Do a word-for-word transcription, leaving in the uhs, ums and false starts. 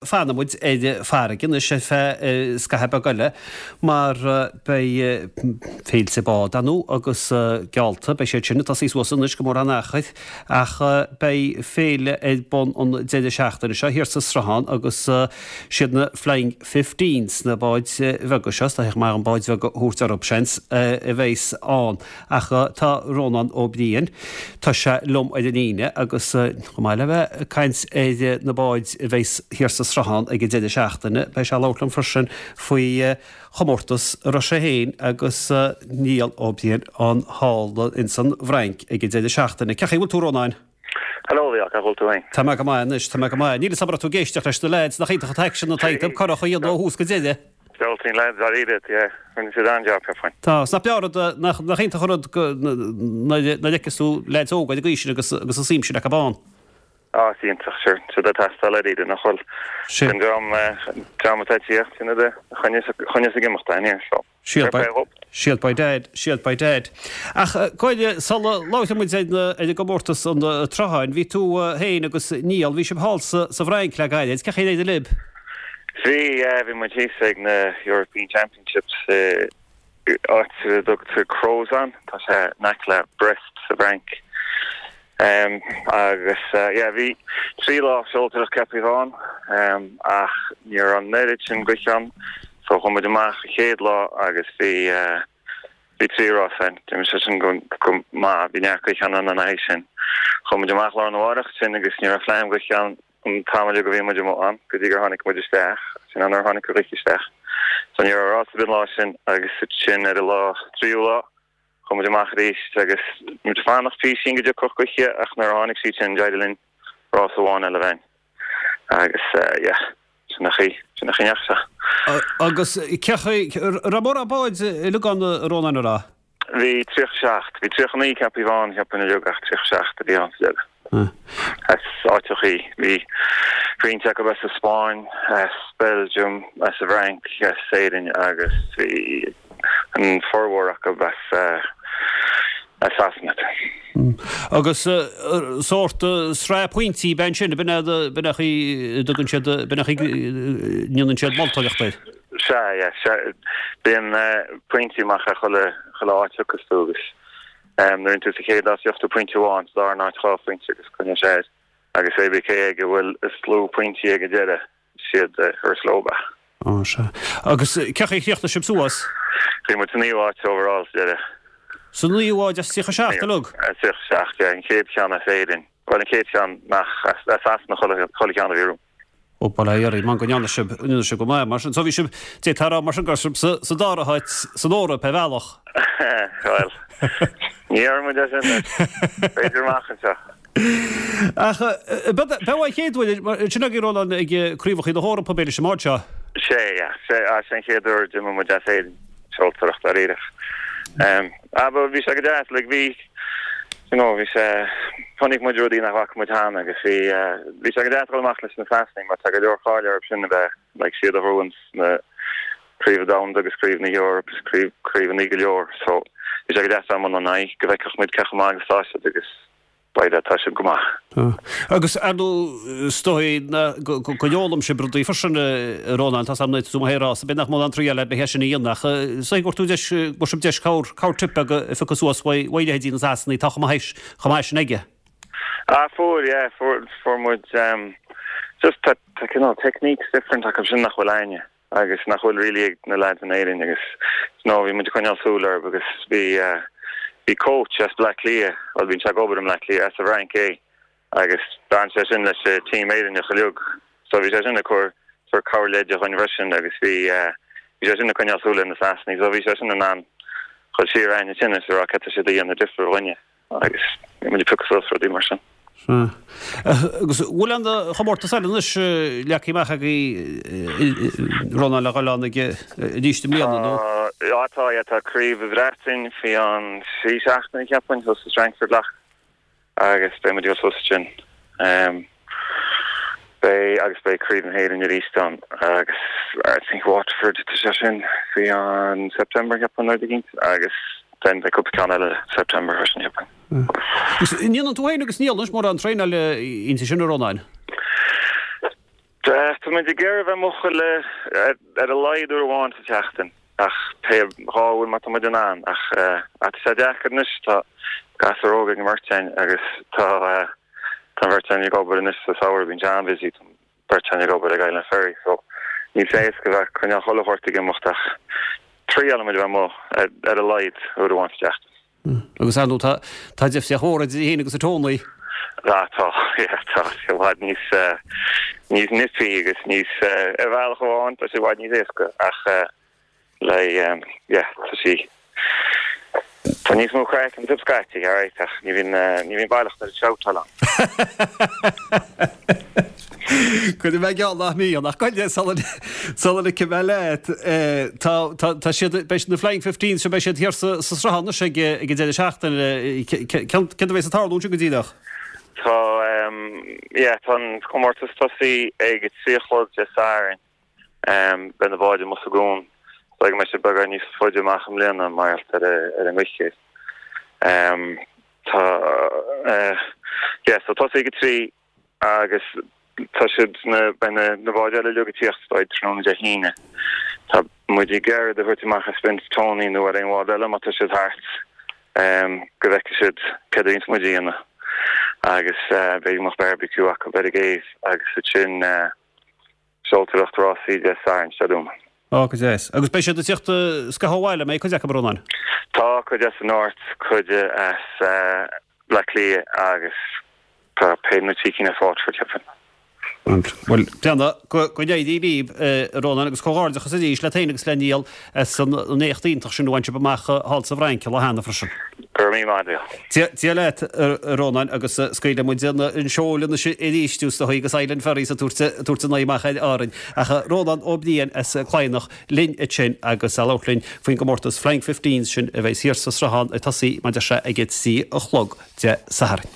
Fanfaidh muid ar farraige anois ar feadh scaitheamh beag eile mar beidh féilte bád ann agus geallta, beidh siad sin ag tosaí suas anois go mórán achair ach beidh féile ar bun an deireadh seachtaine seo thiar sa Sruthán agus siad na Flying Fifteens, na báid bheaga seo, is dóiche maith an báid bheag a thabhairt orthu, seans, a bheas ann. Ach tá Rónán Ó Briain, tá sé liom ar an líne agus chomh maith le bheith ag caint ar na báid a bheas thiar sa Sruthán ag an deireadh seachtaine, beidh sé ag labhairt liom freisin faoi chomórtas a raibh sé féin agus Niall Ó Briain ann thall ins an bhFrainc ag an deireadh seachtaine. Cén chaoi a bhfuil tú, Rónáin? Hello, Leo, cá bhfuil tú féin? Tá mé go maith anois, tá mé go maith. Níl 'fhios a'm an raibh tú ag éisteacht leis na leaids, nach iontach an t-aicsean atá iontu, curach a dhéanamh ó thús go deireadh. Fealtaíonn lads dáiríre, yeah, rinne siad an-jab, cheapfainn. Tá, 's nach breá rud, nach, nach iontach an rud go, nuair a fheiceas tú leaids óga ar an gcaoi sin agus, agus an suim sin acu ann. Á, is iontach, sure, siad ag teastáil dáiríre, nach bhfuil? Sin. An dream, dream atá ag tíocht, sin iad a choinneos, choinneos ag imeacht aniar, so. Shield Fair by, play dhób. shield by dad, shield by dad. Ach, Cóil, sula labhróidh muid ar na, ar an gcomórtas an tSrutháin, bhí tú féin agus Niall, bhí sibh thall sa, sa bhFrainc le gairid, cén chaoi ar éirigh libh? Bhí, yeah, bhí muid thíos ag na European Championships i áit a dtugtar Crozon, tá sé in aice le Brest sa bhFrainc. Um, agus uh, yeah, bhí trí lá seoltóireacht ceaptha ann, um, ach ní raibh an oiread sin gaoithe ann, so chuaigh muid amach an chéad lá agus bhí uh, bhí trí rás ann, d'imigh sé sin go, go maith, bhí neart gaoithe ann ina aghaidh sin. Chuaigh muid amach lá arna mhárach sin agus ní raibh fleam gaoithe ann an t-am uilig a bhí muid amuigh ann, go dtí gur tháinig muid isteach, sin an nuair a tháinig an ghaoth isteach. So ní raibh rás ar bith an lá sin agus sin ar an lá tríú lá, chuaigh muid amach arís agus muid ag fanacht písín go dtiocfadh gaoithe ach nuair a tháinig sí sin d'éirigh linn rás amháin eile a bheith ann. Agus uh, yeah, sin an chaoi, sin an chaoi a ndeachaigh sé. Agus cén chaoi, raibh mórán báid uilig ann, a Rónáin, an raibh? Bhí tríocha seacht, bhí tríocha naoi ceaptha ann, cheapfainn uilig ach tríocha seacht a bhí ann sa deireadh. As áiteachaí, bhí roinnt acu as an Spáinn, as Belgium, as an bhFrainc, as Éirinn agus bhí an formhór acu as uh, as Sasana. Agus sórt sraith pointí ben sin, b'in é b'in é chaoi dtugann siad b'in é chaoi ndéanann siad moltóireacht air. Sea, yeah, sea, bíonn uh, pointí amach ar chuile chuile áit a thiocfas tú agus um, nuair tú sa chéad áit gheobhaidh tú pointe amháin, sa dara háit dhá phointe agus coinneoidh sé air. Agus é cé ag a bhfuil is lú pointí ag an deireadh siad uh, chuir leo. Á sea. Agus cén chaoi a chríochnaigh sibh suas? Bhí muid sa naoú háit overall sa deireadh. Sa naoú háit as tríocha seacht uilig? As tríocha seacht, yeah, an chéad cheann as Éirinn. Well, an chéad cheann nach as as Sasana chuile chuile cheann a bhí romham. Ó bail ó Dhia oraibh, man go ndearna sibh ndearna sibh go maith mar sin. So bhí sibh d'fhéadfá a rá mar sin go raibh sibh sa sa dara háit san Eoraip ar bhealach. Well, ní dhearna muid é sin b'fhéidir amach anseo. Ach b'é an chéad uair sin agaibh Rónán ag craobhacha na hEorpa b'fhéidir sa mbád seo. Sé, yeah, sé, ah, sé an chéad uair d'imigh muid as Éirinn seoltóireacht dáiríre. Um, ah, but bhí sé go deas, like bhí you know, bhí sé chonaic muid rudaí nach bhfaca muid cheana agus bhí uh, bhí sé go deas dul amach leis na Sasanaigh mar tá go leor cáil orthu sin a bheith like siad a bhuann na craobh domhanda agus craobh na hEorpa agus craobh craobhanna go leor so bhí sé go deas am an aghaidh go bhfeicfeadh muid cé chomh maith agus tá siad agus beidh tá siad go maith. Agus ar ndóigh is dóigh go bhfoghlaim sibh rudaí freisin a Rónán tá sam tú rá, b'fhéidir nach mó an triail le bheith sin a dhéanamh ach is dóigh gur tú deis go sibh deis cabhair cabhair tip beag a phiocadh suas uaidh uaidh leithéidí na Sasanaigh tá chomh maith chomh maith sin aige. Ah, fuair, yeah, fuair fuair muid um, just tá tá cineál techniques different acu sin nach bhfuil againne agus nach bhfuil really ag na lads in Éirinn agus no bhí muid ag coinneáil súil orthu agus bhí uh, bhí coach as Bleá Cliath, well bhíonn sé ag obair i mBleá Cliath as an bhFrainc é agus d'fhan sé sin leis an team Éireannach uilig so bhí sé sin ag cur cur cabhair leide chugainn freisin agus bhí uh, bhí sé sin ag coinneáil súil ar na Sasanaigh so bhí sé sin in ann chun siar aine sin is rá cad tá siad a dhéanamh difriúil dhúinne agus bhí muid ag piocadh suas rudaí mar sin. Agus bhfuil an chomórtas eile anois leagtha amach agaibh Rónán le dhul ann ag arís i mbliana nó? Tá tá yeah, tá craobh an Bhreatain faoi an trí seachtaine cheapfainn thuas i Strangford Lough agus beidh muid ag dul suas sin. Um, beidh agus beidh craobh na hÉireann arís ann agus I think Waterford tá sé sin faoi an September cheapfainn nó éigin agus then beidh cúpla ceann eile September freisin cheapfainn. Agus ndéanann tú féin agus Niall anois mórán traenáil inti sin a Rónáin? Tá muid ag iarraidh bheith amuigh chuile ar a laghad uair amháin sa tseachtain ach pé dhá uair má tá muid in ann ach tá sé deacair anois tá gasúir óga ag an mbeirt againn agus tá tá an bheirt againn ag obair anois sa samhradh bíonn sé an-busy tá an bheirt againn ag obair ag Island Ferry so níl sé éasca bheith coinneáil chuile shórt ag imeacht ach triaileann muid bheith amuigh ar a laghad uair amháin sa tseachtain. Agus ar ndóigh tá tá difríocht mhór idir í féin agus a Tony. Tá tá yeah, tá sé i bhfad níos níos nippy agus níos ar bhealach amháin tá sé i bhfad níos éasca ach le yeah tá sí Tá níos mó craic an tip scaití alright ach ní bhíonn ní bhíonn baileach ar an shoutáil ann. Cuid mé geall nach mbíonn ach goile sula ligfidh mé leat tá tá siad beidh na Flying Fifteens seo beidh siad thiar sa sa Sruthán anois ag ag an deireadh seachtaine céard a bheas ag tarlú ansin go díreach? Tá yeah tá an comórtas tosaí ag a trí a chlog Dé Sathairn beidh na báid amuigh sa gcuan so go mbeidh sé beagán níos faide amach i mbliana mar gheall ar ar an ngaoth. Tá yeah so tosaí ag a trí agus tá siad na beidh na na báid eile uilig ag tíocht isteach tráthnóna Dé hAoine. Tá muid ag iarraidh a thabhairt amach ar Spin Tony nó ar aon bhád eile má tá siad thart um, go bhfeicfidh siad céard a bhíonns muid a dhéanamh agus uh, beidh mo barbecue acu ar an gcéibh agus sin uh, seoltóireacht rásaí Dé Sathairn Stadium. Ó go deas. Agus beidh siad ag tíocht scaitheamh abhaile mé cuid acu Rónán. Tá cuid as an North, cuid as uh, Bleá Cliath agus tá pé na trí cinn as Waterford ceapaim. Well déana go n-éirí libh Rónán agus comhghairdeachas arís leat féin agus le Niall as an éacht iontach sin a bhain sibh amach thall sa bhFrainc lá cheana freisin. Gur mí maith. Dia leat Rónán agus scaoileann muid an seol anois arís agus Island Ferries a tabhairt an amach ar Árainn ach Rónán Ó Briain as Cladhnach linn ansin agus ag labhairt linn faoin gcomórtas Flying Fifteens sin a bheidh thiar sa Sruthán ag tosaí mar a deir sé ag a trí a chlog Dé Sathairn.